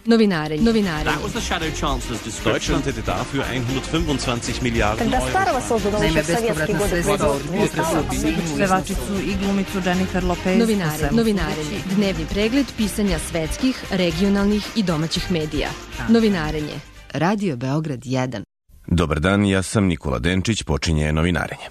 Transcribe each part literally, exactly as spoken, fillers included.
Novinarenje. Novinarenje. That was the shadow chancellor's description. Deutschland hätte dafür hundertfünfundzwanzig Milliarden Когда старого создано еще в советские годы Pevačicu i glumicu Jennifer Lopez. Novinare, novinarenje. Dnevni pregled pisanja svetskih, regionalnih i domaćih medija. Novinarenje. Radio Beograd jedan. Dobar dan, ja sam Nikola Denčić, počinje Novinarenje.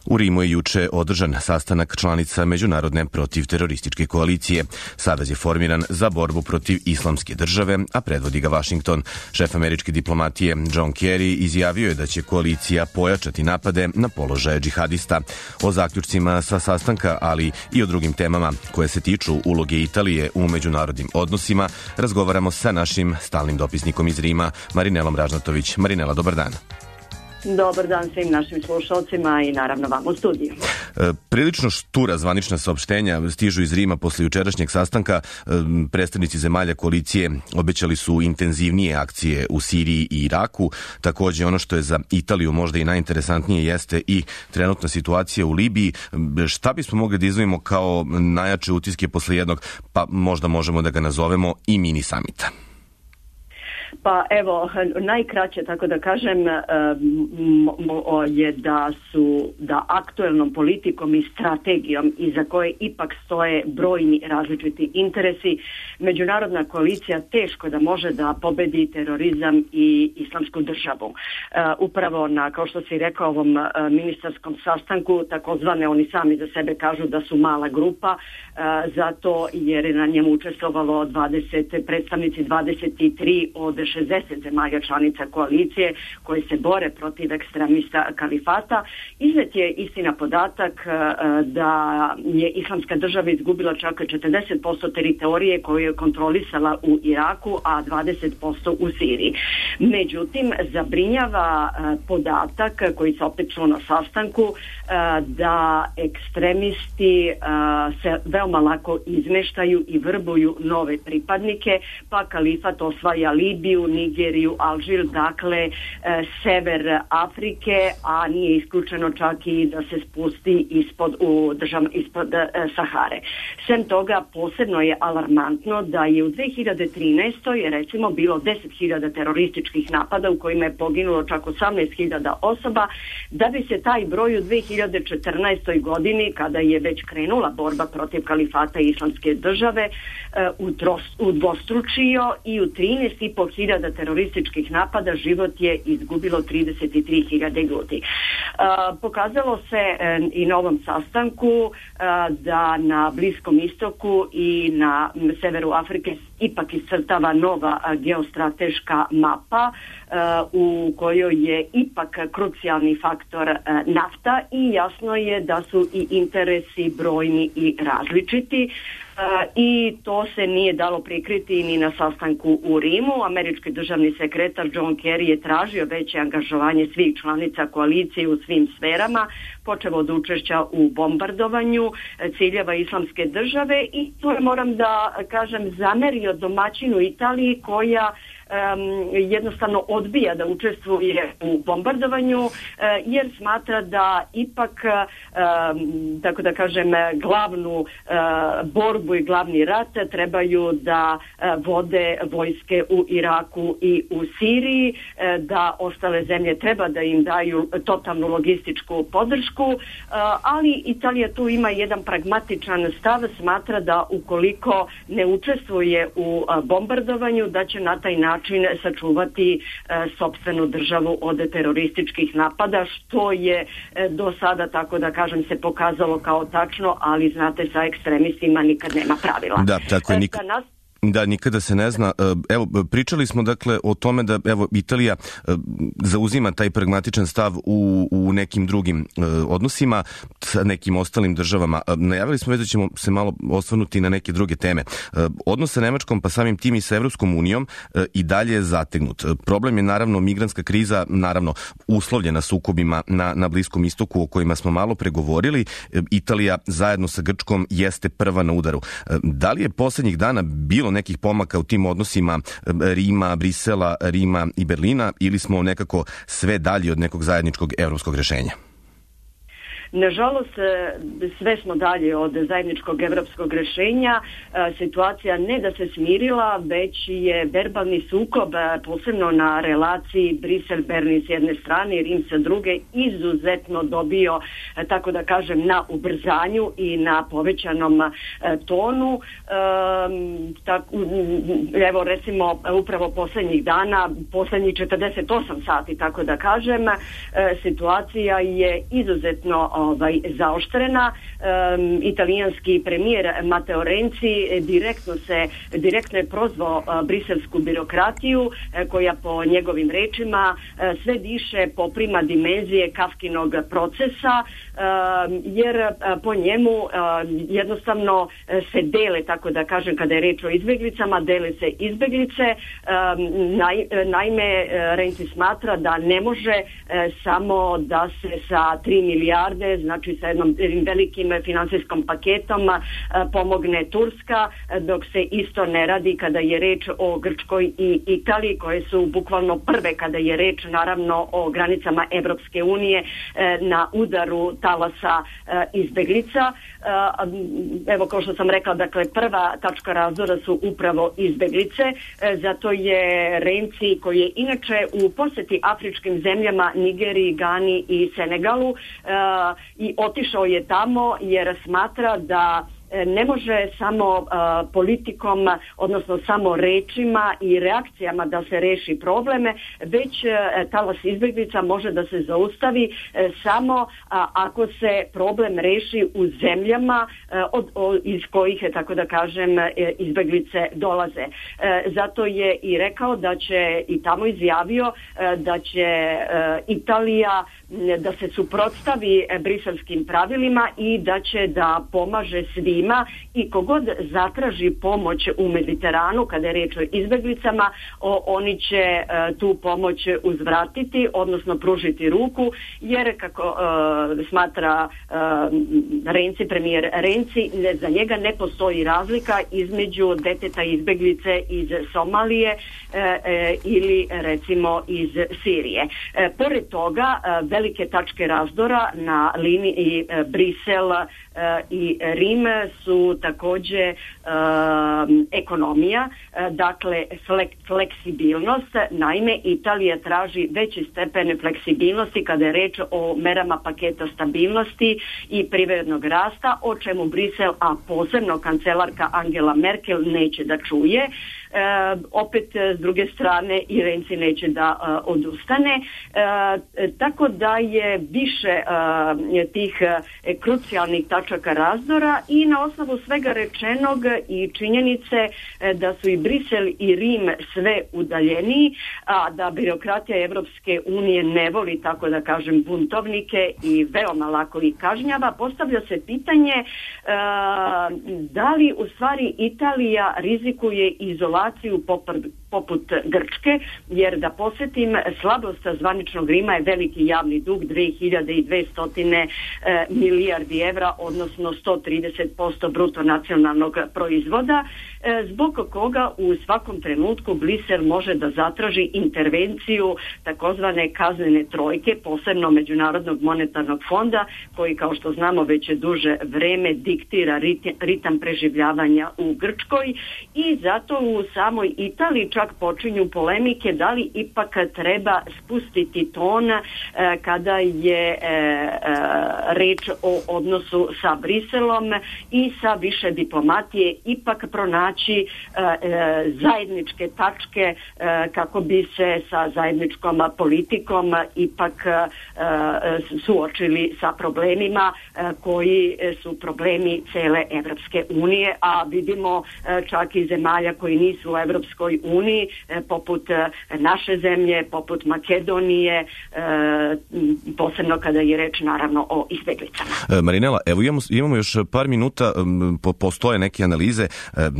U Rimu je juče održan sastanak članica Međunarodne protivterorističke koalicije. Savez je formiran za borbu protiv islamske države, a predvodi ga Vašington. Šef američke diplomatije John Kerry izjavio je da će koalicija pojačati napade na položaje džihadista. O zaključcima sa sastanka, ali i o drugim temama koje se tiču uloge Italije u međunarodnim odnosima, razgovaramo sa našim stalnim dopisnikom iz Rima, Marinelom Ražnatović. Marinela, dobar dan. Dobar dan svim našim slušalcima i naravno vam u studiju. E, prilično štura zvanična saopštenja stižu iz Rima posle jučerašnjeg sastanka. E, predstavnici zemalja koalicije obećali su intenzivnije akcije u Siriji i Iraku. Takođe, ono što je za Italiju možda i najinteresantnije jeste i trenutna situacija u Libiji. E, šta bismo mogli da izdvojimo kao najjače utiske posle jednog, pa možda možemo da ga nazovemo i mini samita? Pa evo, najkraće, tako da kažem, je da su, da aktuelnom politikom i strategijom iza koje ipak stoje brojni različiti interesi, međunarodna koalicija teško da može da pobedi terorizam i islamsku državu. Upravo na, kao što si rekao, ovom ministarskom sastanku, takozvane, oni sami za sebe kažu da su mala grupa, zato jer je na njemu učestvovalo dvadeset predstavnici dvadeset tri od šezdeset zemalja članica koalicije koje se bore protiv ekstremista kalifata. Iznet je istina podatak da je islamska država izgubila čak četrdeset posto teritorije koju je kontrolisala u Iraku, a dvadeset posto u Siriji. Međutim, zabrinjava podatak koji se opet čuo na sastanku da ekstremisti se veoma lako izmeštaju i vrbuju nove pripadnike, pa kalifat osvaja Libiju, Nigeriju, Alžir, dakle sever Afrike, a nije isključeno čak i da se spusti ispod, u držav, ispod Sahare. Sem toga, posebno je alarmantno da je u dve hiljade trinaestoj recimo bilo deset hiljada terorističkih napada u kojima je poginulo čak osamnaest hiljada osoba, da bi se taj broj u dve hiljade četrnaestoj godini, kada je već krenula borba protiv kalifata i islamske države, udvostručio i u trinaest i po hiljada terorističkih napada život je izgubilo trideset tri hiljade ljudi. Pokazalo se i na ovom sastanku da na Bliskom istoku i na severu Afrike ipak iscrtava nova geostrateška mapa u kojoj je ipak krucijalni faktor nafta i jasno je da su i interesi brojni i različiti. I to se nije dalo prikriti ni na sastanku u Rimu. Američki državni sekretar John Kerry je tražio veće angažovanje svih članica koalicije u svim sferama, počevo od učešća u bombardovanju ciljeva islamske države, i to je, moram da kažem, zamerio domaćinu Italiji koja Um, jednostavno odbija da učestvuje u bombardovanju uh, jer smatra da ipak um, tako da kažem glavnu uh, borbu i glavni rat trebaju da uh, vode vojske u Iraku i u Siriji, uh, da ostale zemlje treba da im daju totalnu logističku podršku, uh, ali Italija tu ima jedan pragmatičan stav, smatra da ukoliko ne učestvuje u uh, bombardovanju, da će na taj način sačuvati e, sopstvenu državu od terorističkih napada, što je e, do sada, tako da kažem, se pokazalo kao tačno, ali znate, sa ekstremistima nikad nema pravila. Da, tako je, nik... e, nas... Da, nikada se ne zna. Evo, pričali smo dakle o tome da evo Italija zauzima taj pragmatičan stav u, u nekim drugim odnosima sa nekim ostalim državama. Najavili smo već da ćemo se malo osvrnuti na neke druge teme. Odnos sa Nemačkom, pa samim tim i sa Evropskom unijom, i dalje je zategnut. Problem je naravno migrantska kriza, naravno uslovljena sukobima na, na Bliskom istoku o kojima smo malo pregovorili. Italija zajedno sa Grčkom jeste prva na udaru. Da li je poslednjih dana bilo nekih pomaka u tim odnosima Rima, Brisela, Rima i Berlina, ili smo nekako sve dalje od nekog zajedničkog evropskog rešenja? Nažalost, sve smo dalje od zajedničkog evropskog rešenja. Situacija ne da se smirila, već je verbalni sukob, posebno na relaciji Brisel-Berlin s jedne strane i Rim sa druge, izuzetno dobio, tako da kažem, na ubrzanju i na povećanom tonu. Evo, recimo, upravo poslednjih dana, poslednjih četrdeset osam sati, tako da kažem, situacija je izuzetno ovaj, zaoštrena. Um, italijanski premijer Matteo Renzi direktno se direktno je prozvao uh, briselsku birokratiju uh, koja po njegovim rečima uh, sve više poprima dimenzije Kafkinog procesa, uh, jer uh, po njemu uh, jednostavno uh, se dele, tako da kažem, kada je reč o izbeglica, dele se izbeglice. Um, naj, naime, Renzi smatra da ne može uh, samo da se sa tri milijarde, znači sa jednom velikim finansijskom paketom pomogne Turska, dok se isto ne radi kada je reč o Grčkoj i Italiji, koje su bukvalno prve kada je reč naravno o granicama Evropske unije na udaru talasa izbeglica. Evo, kao što sam rekla, dakle, prva tačka razdora su upravo izbeglice, zato je Renzi, koji je inače u poseti afričkim zemljama, Nigeriji, Gani i Senegalu, i otišao je tamo jer smatra da ne može samo uh, politikom, odnosno samo rečima i reakcijama da se reši probleme, već uh, talas izbeglica može da se zaustavi uh, samo uh, ako se problem reši u zemljama uh, od, od, iz kojih, tako da kažem, uh, izbeglice dolaze. Uh, zato je i rekao da će, i tamo izjavio, uh, da će uh, Italija da se suprotstavi briselskim pravilima i da će da pomaže svima, i kogod zatraži pomoć u Mediteranu kada je reč o izbeglicama, o, oni će e, tu pomoć uzvratiti, odnosno pružiti ruku, jer kako e, smatra e, Renzi, premijer Renzi, ne, za njega ne postoji razlika između deteta izbeglice iz Somalije e, e, ili recimo iz Sirije. E, pored toga, e, velike tačke razdora na liniji e, Brisel e, i Rim su takođe e, ekonomija, e, dakle flek, fleksibilnost. Naime, Italija traži veći stepen fleksibilnosti kada je reč o merama paketa stabilnosti i privrednog rasta, o čemu Brisel, a posebno kancelarka Angela Merkel, neće da čuje. E, opet, s druge strane, i Renzi neće da e, odustane. E, tako da je više e, tih e, krucijalnih tačaka razdora, i na osnovu svega rečenog i činjenice e, da su i Brisel i Rim sve udaljeniji, a da birokratija Evropske unije ne voli, tako da kažem, buntovnike i veoma lako ih kažnjava, postavlja se pitanje e, da li u stvari Italija rizikuje izolaciju poput, poput Grčke, jer da posjetim, slabost zvaničnog Rima je veliki javni dug, dve hiljade dvesta e, milijardi evra, odnosno sto trideset posto bruto nacionalnog proizvoda, e, zbog koga u svakom trenutku Brisel može da zatraži intervenciju takozvane kaznene trojke, posebno Međunarodnog monetarnog fonda, koji, kao što znamo, već je duže vreme diktira rit, ritam preživljavanja u Grčkoj, i zato u samoj Italiji čak počinju polemike da li ipak treba spustiti ton e, kada je e, e, reč o odnosu sa Briselom, i sa više diplomatije ipak pronaći e, e, zajedničke tačke e, kako bi se sa zajedničkom politikom ipak e, suočili sa problemima e, koji su problemi cele Evropske unije, a vidimo e, čak i zemalja koji nisu u Evropskoj uniji, e, poput naše zemlje, poput Makedonije, e, posebno kada je reč naravno o izbeglicama. E, Marinela, evo imamo, imamo još par minuta, po, postoje neke analize. E,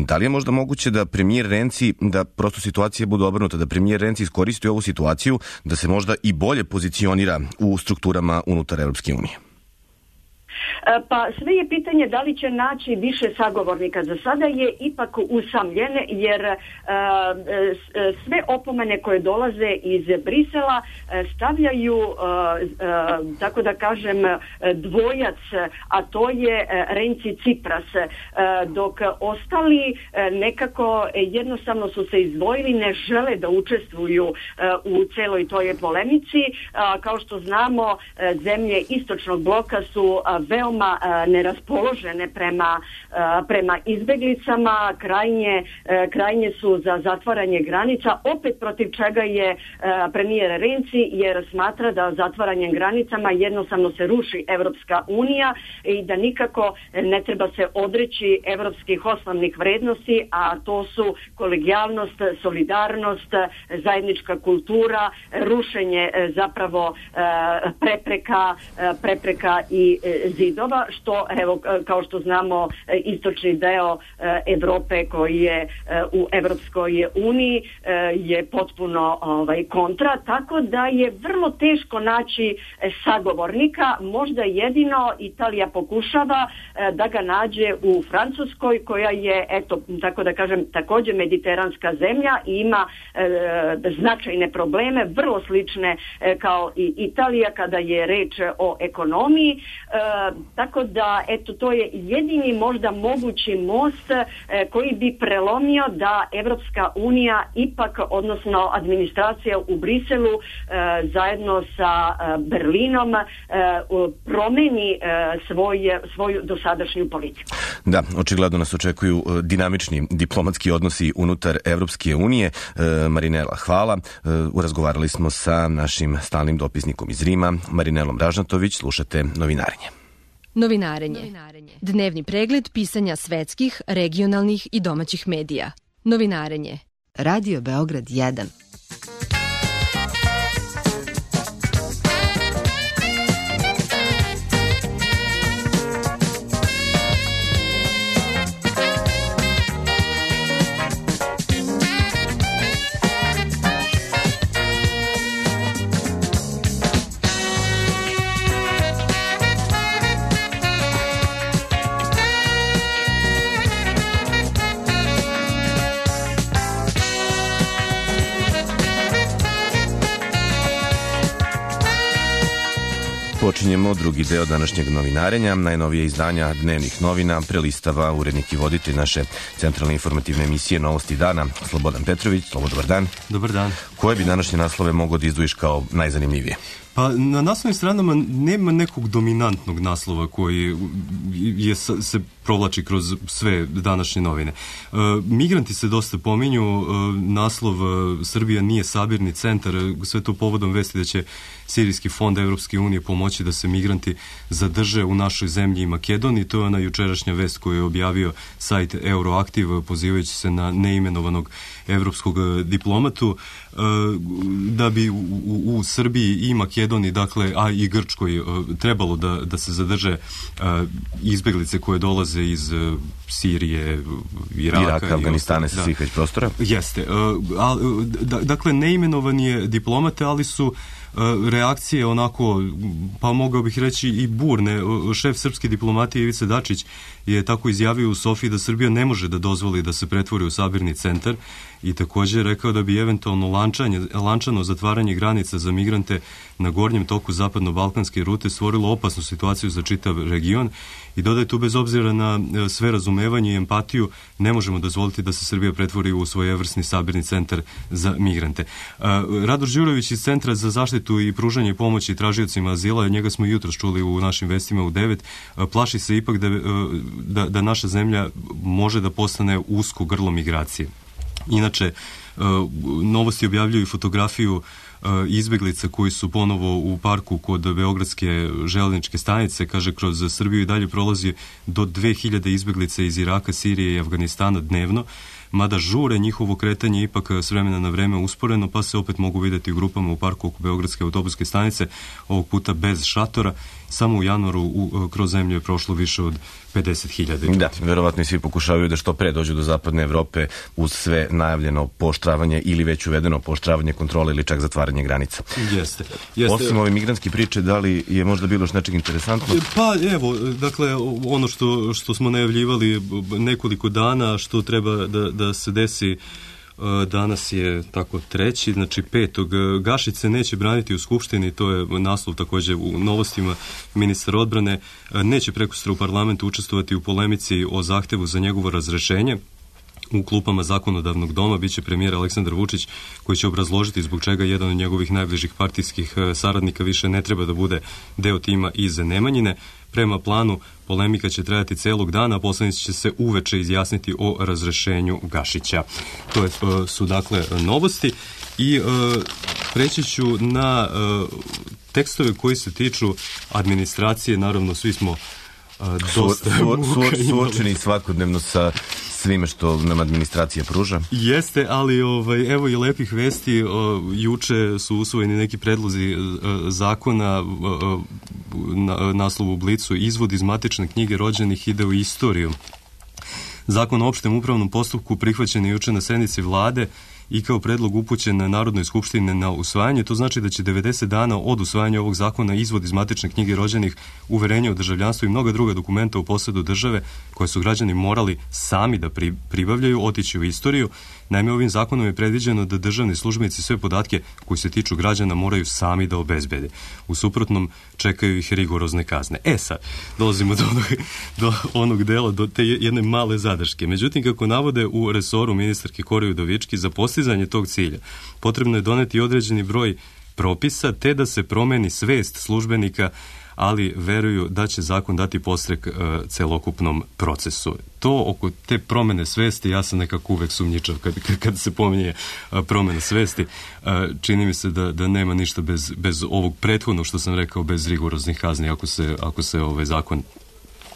da li je možda moguće da premijer Renzi, da prosto situacija bude obrnuta, da premijer Renzi iskoristi ovu situaciju da se možda i bolje pozicionira u strukturama unutar Evropske unije? Pa sve je pitanje da li će naći više sagovornika. Za sada je ipak usamljen, jer sve opomene koje dolaze iz Brisela stavljaju, tako da kažem, dvojac, a to je Renzi Tsipras, dok ostali nekako jednostavno su se izdvojili, ne žele da učestvuju u celoj toj polemici. Kao što znamo, zemlje istočnog bloka su veoma neraspoložene prema, prema izbeglicama, krajnje, krajnje su za zatvaranje granica, opet protiv čega je premijer Renzi, jer smatra da zatvaranjem granicama jednostavno se ruši Evropska unija i da nikako ne treba se odreći evropskih osnovnih vrednosti, a to su kolegijalnost, solidarnost, zajednička kultura, rušenje zapravo prepreka, prepreka i zidova, što evo kao što znamo istočni deo Evrope koji je u Evropskoj uniji je potpuno ovaj, kontra, tako da je vrlo teško naći sagovornika. Možda jedino Italija pokušava da ga nađe u Francuskoj, koja je, eto, tako da kažem, također mediteranska zemlja i ima e, značajne probleme, vrlo slične e, kao i Italija kada je reč o ekonomiji, e, tako da, eto, to je jedini možda mogući most e, koji bi prelomio da Evropska unija ipak, odnosno administracija u Briselu e, zajedno sa e, Berlinom e, promeni e, svoj, svoju dosadašnju politiku. Da, očigledno nas očekuju dinamični diplomatski odnosi unutar Evropske unije. E, Marinela, hvala. E, urazgovarali smo sa našim stalnim dopisnikom iz Rima, Marinelom Ražnatović. Slušate Novinarenje. Novinarenje. Dnevni pregled pisanja svetskih, regionalnih i domaćih medija. Novinarenje. Radio Beograd jedan. Počinjemo drugi deo današnjeg novinarenja. Najnovije izdanja dnevnih novina prelistava urednik i voditelj naše centralne informativne emisije Novosti dana, Slobodan Petrović. Slobo, dobar dan. Dobar dan. Koje bi današnje naslove mogao da izdvojiš kao najzanimljivije? Pa na naslovnim stranama nema nekog dominantnog naslova koji je, se provlači kroz sve današnje novine. E, migranti se dosta pominju, e, naslov e, Srbija nije sabirni centar, sve to povodom vesti da će Sirijski fond Evropske unije pomoći da se migranti zadrže u našoj zemlji i Makedoniji. To je ona jučerašnja vest koju je objavio sajt Euroaktiv, pozivajući se na neimenovanog evropskog diplomatu, e, da bi u, u, u Srbiji i Makedoniji, dakle, a i Grčkoj, e, trebalo da, da se zadrže e, izbeglice koje dolaze iz e, Sirije, Iraka, Iraka Afganistana, sa svih već prostora. Jeste. E, a, da, dakle, neimenovani je diplomate, ali su reakcije onako, pa mogao bih reći i burne. Šef srpske diplomatije Ivica Dačić je tako izjavio u Sofiji da Srbija ne može da dozvoli da se pretvori u sabirni centar i također rekao da bi eventualno lančanje, lančano zatvaranje granica za migrante na gornjem toku zapadno-balkanske rute stvorilo opasnu situaciju za čitav region i dodaje tu bez obzira na sve razumevanje i empatiju ne možemo dozvoliti da se Srbija pretvori u svojevrsni sabirni centar za migrante. Radoš Đurović iz Centra za zaštitu i pružanje pomoći tražiocima azila, njega smo jutros čuli u našim vestima u devet, plaši se ipak da, da, da naša zemlja može da postane usko grlo migracije. Inače, Novosti objavljuju fotografiju izbeglica koji su ponovo u parku kod Beogradske železničke stanice. Kaže, kroz Srbiju i dalje prolazi do dve hiljade izbeglica iz Iraka, Sirije i Afganistana dnevno. mada žure njihovo kretanje ipak s vremena na vreme usporeno, pa se opet mogu vidjeti u grupama u parku oko Beogradske autobuske stanice, ovog puta bez šatora. Samo u januaru u, kroz zemlju je prošlo više od pedeset hiljada. Da, verovatno i svi pokušavaju da što pre dođu do zapadne Evrope uz sve najavljeno pooštravanje ili već uvedeno pooštravanje kontrole ili čak zatvaranje granica. Jeste. Jeste. Osim ove migrantske priče, da li je možda bilo još nečeg interesantno? Pa evo, dakle, ono što, što smo najavljivali nekoliko dana, što treba da, da se desi. Danas je tako treći, znači petog. Gašić se neće braniti u Skupštini, to je naslov također u novostima. Ministar odbrane neće prekosutra u parlamentu učestvovati u polemici o zahtevu za njegovo razrešenje. U klupama zakonodavnog doma biće premijer Aleksandar Vučić, koji će obrazložiti zbog čega jedan od njegovih najbližih partijskih saradnika više ne treba da bude deo tima iz Nemanjine. Prema planu, polemika će trajati celog dana, a poslanici će se uveče izjasniti o razrešenju Gašića. To je, su dakle novosti i uh, preći ću na uh, tekstove koji se tiču administracije. Naravno, svi smo uh, dosta su, su, suočeni svakodnevno sa svime što nam administracija pruža. Jeste, ali ovaj, evo i lepih vesti. O, juče su usvojeni neki predlozi o, zakona, o, na, naslov u Blicu, izvod iz matične knjige rođenih ide u istoriju. Zakon o opštem upravnom postupku prihvaćen je juče na sednici vlade i kao predlog upućen na Narodnoj skupštini na usvajanje. To znači da će devedeset dana od usvajanja ovog zakona izvod iz matične knjige rođenih, uverenje o državljanstvu i mnoga druga dokumenta u posedu države koje su građani morali sami da pri, pribavljaju, otići u istoriju. Naime, ovim zakonom je predviđeno da državni službenici sve podatke koji se tiču građana moraju sami da obezbede. U suprotnom čekaju ih rigorozne kazne. E sad, dolazimo do onog, do onog dela, do te jedne male zadrške. Međutim, kako navode u resoru ministarke Kori Udovički, za postizanje tog cilja potrebno je doneti određeni broj propisa te da se promeni svest službenika, ali veruju da će zakon dati podstrek uh, celokupnom procesu. To oko te promene svesti, ja sam nekako uvek sumnjičav kad, kad, kad se pominje uh, promena svesti. Uh, čini mi se da, da nema ništa bez, bez ovog prethodnog što sam rekao, bez rigoroznih kazni ako se, ako se ovaj zakon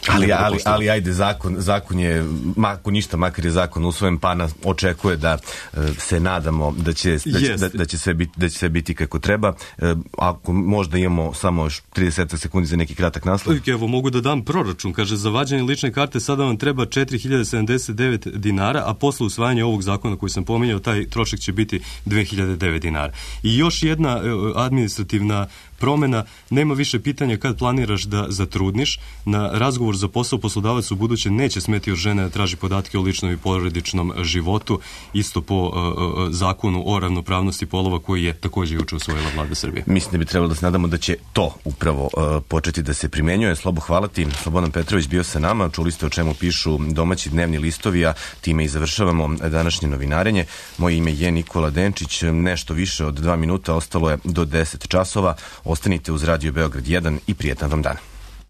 Ali, ali, ali ajde, zakon, zakon je, ako ništa, makar je zakon usvojen, pa nas očekuje da uh, se nadamo da će, da, će, da, da, će sve biti, da će sve biti kako treba. Uh, ako možda imamo samo još trideset sekundi za neki kratak naslov. Evo, mogu da dam proračun. Kaže, za vađenje lične karte sada vam treba četiri hiljade sedamdeset devet dinara, a posle usvajanja ovog zakona koji sam pominjao, taj trošak će biti dve hiljade devet dinara. I još jedna uh, administrativna promena, nema više pitanja kad planiraš da zatrudniš. Na razgovor za posao poslodavac u buduće neće smeti od žene da traži podatke o ličnom i porodičnom životu, isto po uh, uh, zakonu o ravnopravnosti polova koji je također juče usvojila vlada Srbije. Mislim da bi trebalo da se nadamo da će to upravo uh, početi da se primenjuje. Slobo, hvala ti. Slobodan Petrović bio sa nama. Čuli ste o čemu pišu domaći dnevni listovi, a time i završavamo današnje novinarenje. Moje ime je Nikola Denčić. Nešto više od dva minuta ostalo je do deset časova. Ostanite uz Radio Beograd jedan i prijetan vam dan.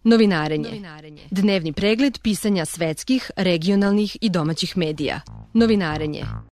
Novinarenje. Dnevni pregled pisanja svetskih, regionalnih i domaćih medija. Novinarenje.